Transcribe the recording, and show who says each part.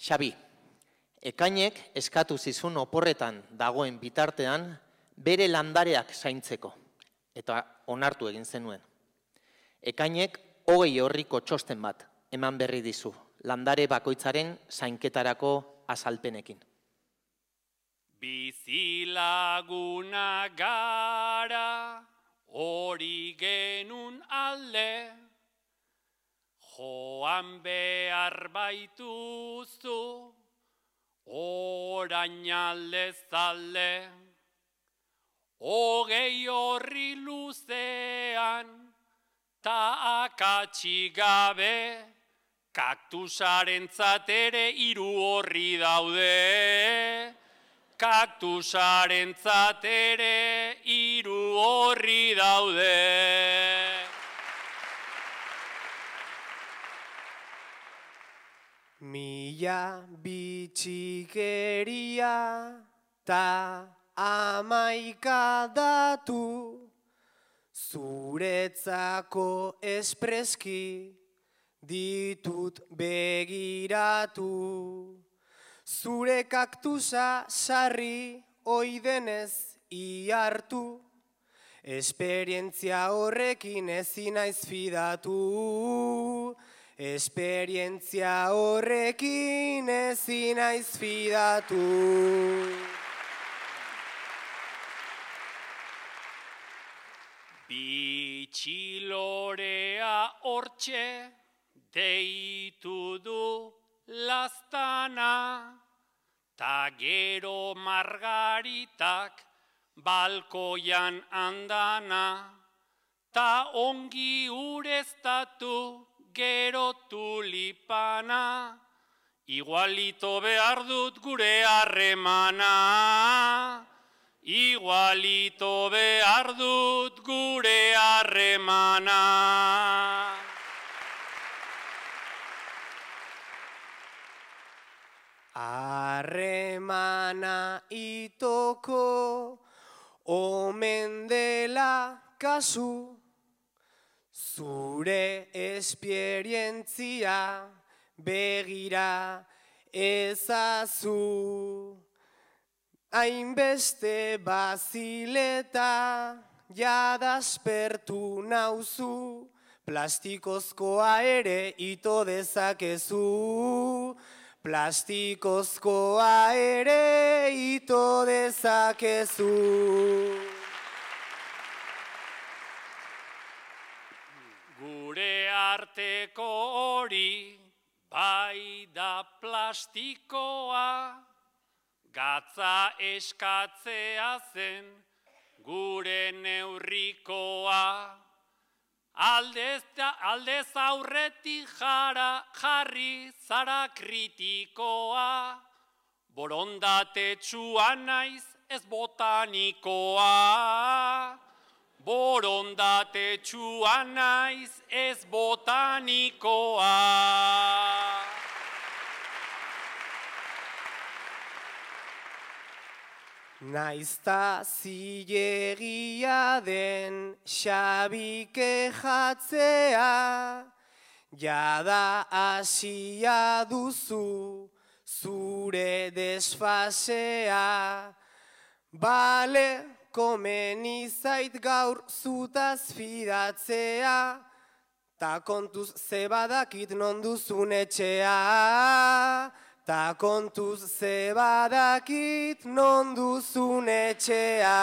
Speaker 1: Xabi, ekainek eskatu zizun oporretan dagoen bitartean bere landareak zaintzeko, eta onartu egin zenuen. Ekainek 20 orriko txosten bat eman berri dizu, landare bakoitzaren zainketarako azalpenekin.
Speaker 2: Bizilaguna gara, hori genun alde, joan behar baituzu, orain aldez alde. 20 orri luzean, ta akatsik gabe, kaktusarentzat ere 3 orri daude. Kaktusarentzat ere 3 orri daude.
Speaker 3: Mila bitxikeria ta 11 datu, zuretzako espreski ditut begiratu. Zure kaktusa sarri oidenez ihartu, esperientzia horrekin ezin naiz fidatu. Esperientzia horrekin ezin naiz fidatu.
Speaker 2: Bitxilorea hortxe deitu du laztana, ta gero margaritak balkoian andana, ta ongi ureztatu gero tulipana, igualito behar dut gure harremana. Igualito behar dut gure harremana.
Speaker 3: Harremana itoko omen dela kasu, zure esperientzia begira ezazu. Hainbeste bazileta jadaspertu nauzu, plastikozkoa ere ito dezakezu. Plastikozkoa ere ito dezakezu.
Speaker 2: Gure arteko hori bai da plastikoa, gatza eskatzea zen gure neurrikoa. Aldez aurretik jarri zara kritikoa, borondatetsua naiz ez botanikoa. Borondatetsua naiz ez botanikoa.
Speaker 3: Naizta zilegia den Xabi kejatzea, jada hasia duzu zure desfasea. Bale, komeni zait gaur zutaz fidatzea, ta kontuz ze badakit non duzun etxea. Ta kontuz ze badakit non duzun etxea.